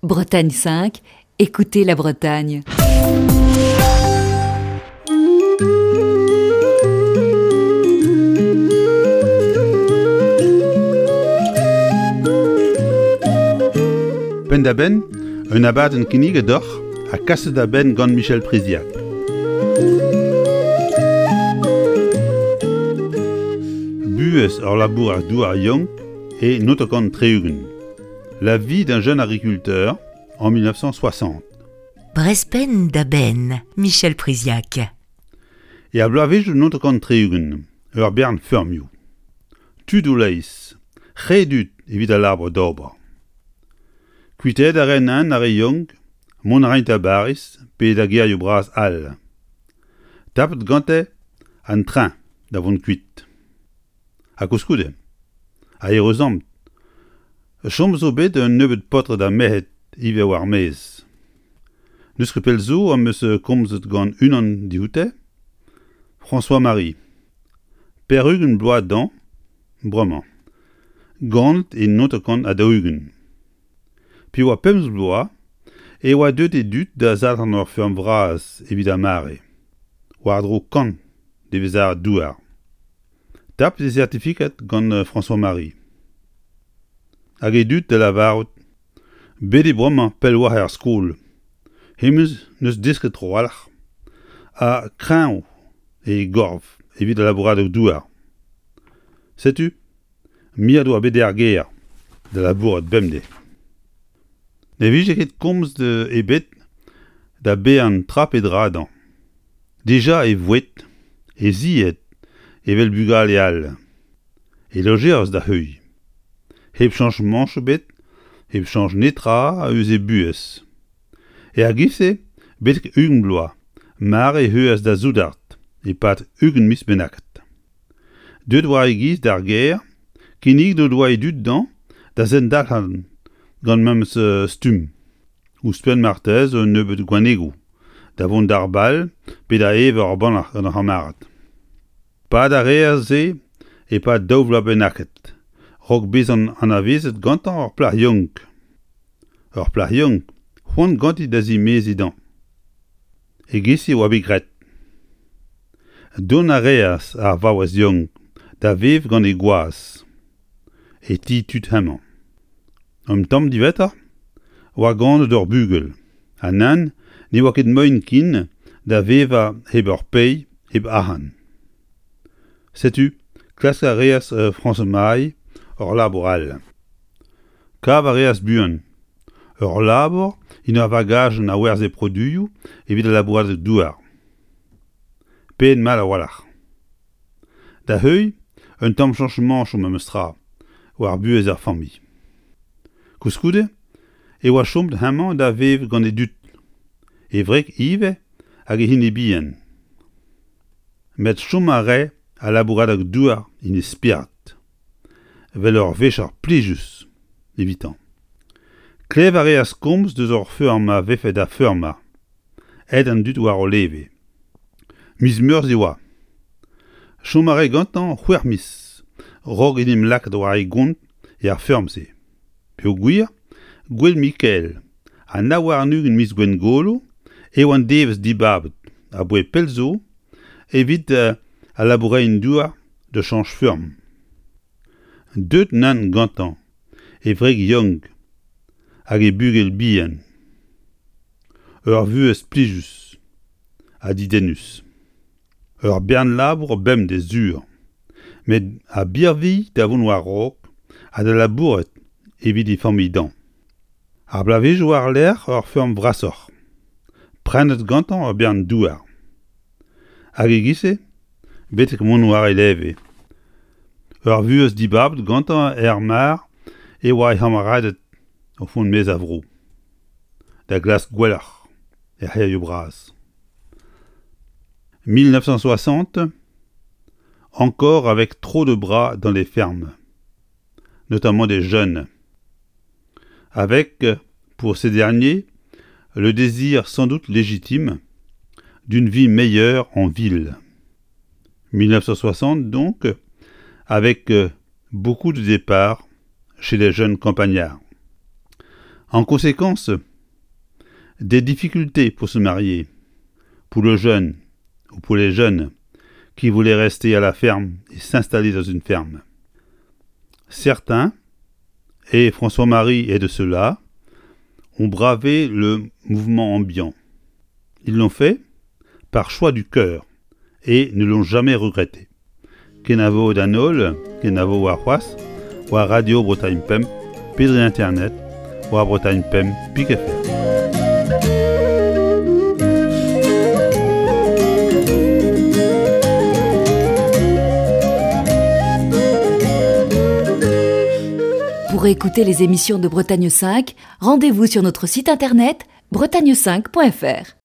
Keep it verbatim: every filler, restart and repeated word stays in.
Bretagne cinq, écoutez la Bretagne. Penn-da-benn, un abadenn kinniget deoc'h ha kaset da benn gant Michel Priziac. Buhez ur labourer-douar yaouank e naontek tri-ugent. La vie d'un jeune agriculteur en mille neuf cent soixante. Brezh penn da benn, Michel Priziac. E ar bloavezhioù naontek tri-ugent, ur bern feurmioù. Tud o leizh, re dud evit al labour d'ober. Kuitaet a raent ar re yaouank, mont a raent da Bariz pe da gêrioù bras all. Tapet gante an train da vont kuit. Ha koulskoude, a ereuzamp, chom zo bet un nebeud paotred ha merc'hed ivez war maez. N'eus ket pell zo am eus komzet gant unan dioute, François-Marie. Pevar-ugent bloaz dezhañ, bremañ. Ganet e naontek ha daou-ugent. Pe oa pemzek bloaz e oa deuet e dud da zalc'han ur feurm vras evit ar mare, war-dro kant devezhad douar. Tapet e certificat gant François-Marie. Hag e dud da lavarout, bet eo bremañ pell war ar skol. Hemañ n'eus desket trawalc'h ha kreñv e gorf evit al labouradeg douar. Setu, miret oa bet er gêr da labourat bemdez. Ne vije ket komz ebet da baeañ tra pe dra dezhañ. Dija e voued, e zied evel bugale all. E lojerzh da heuilh. Hep chañch mañch ebet, hep chañch netra eus e buhez. Er giz-se, betek ugent bloaz, mare e heuas da soudard e-pad ugent miz bennaket. Deuet war e giz d'ar gêr, kinniget o doa e dud dezhañ da zendalc'han gant memes stumm. Ouzhpenn marteze un nebeud gwanegoù, da vont d'ar bal pe da evañ ur bannac'h gant ar c'hamarad. Pad a reas se e-pad daou vloaz bennaket, raok bezañ anavezet gantañ ur plac'h yaouank. Ur plac'h yaouank, c'hoant ganti da zimeziñ dezhañ. E-giz-se oa bet graet. Dont a reas ar vaouez yaouank da vev gant he gwaz, e ti tud hemañ. Un tamm diwezhatoc'h oa ganet ur bugel, ha nann ne oa ket moaien ken da vevañ hep ur pae, hep arc'hant. Setu, klask a reas François-Marie ur labour all. Kav a reas buan. Ur labour en ur vagajenn a werzhe produioù evit al labouradeg douar. Paeet mat a-walc'h. Da heuilh, un tamm chañchamañchoù memes tra war buhez ar familh. Koulskoude, e oa chomet hemañ da vev gant e dud, e wreg ivez hag e hini bihan. Met chom a rae al labouradeg douar en e spered, evel ur vicher plijus evitañ. Klev a reas komz deus ur feurm a vefe da feurmañ, aet an dud war o leve. Miz Meurzh e oa. Chom a rae gantañ c'hwec'h miz, raok en em lakaat war e gont er feurm-se. Peogwir, Gouel Mikael ha nav warn-ugent miz Gwengolo eo an devezh dibabet aboae pell zo evit al labourerien-douar da chañch feurm. Deuet nann gantañ e wreg yaouank hag e bugel bihan. Ur vuhez plijus ha dedennus. Ur bern labour bemdez sur, met a birvilh da vont war-raok ha da labourat evit e familh dezhañ. Ar bloavezhioù war-lerc'h ur feurm vrasoc'h, prenet gantañ ur bern douar. Hag e-giz-se, betek mont war e leve. Ur vuhez dibabet gantañ er mar e oa e c'hamaraded o vont maez a vro. Da glask gwelloc'h er c'hêrioù bras. mille neuf cent soixante, encore avec trop de bras dans les fermes, notamment des jeunes. Avec, pour ces derniers, le désir sans doute légitime d'une vie meilleure en ville. mille neuf cent soixante donc, avec beaucoup de départs chez les jeunes campagnards. En conséquence, des difficultés pour se marier, pour le jeune ou pour les jeunes qui voulaient rester à la ferme et s'installer dans une ferme. Certains, et François-Marie est de ceux-là, ont bravé le mouvement ambiant. Ils l'ont fait par choix du cœur et ne l'ont jamais regretté. Kenavo d'an holl, kenavo warc'hoazh, war Radio Bretagne Pemp, pe dre internet, war Bretagne Pemp pik F R. Pour écouter les émissions de Bretagne cinq, rendez-vous sur notre site internet bretagne cinq point F R.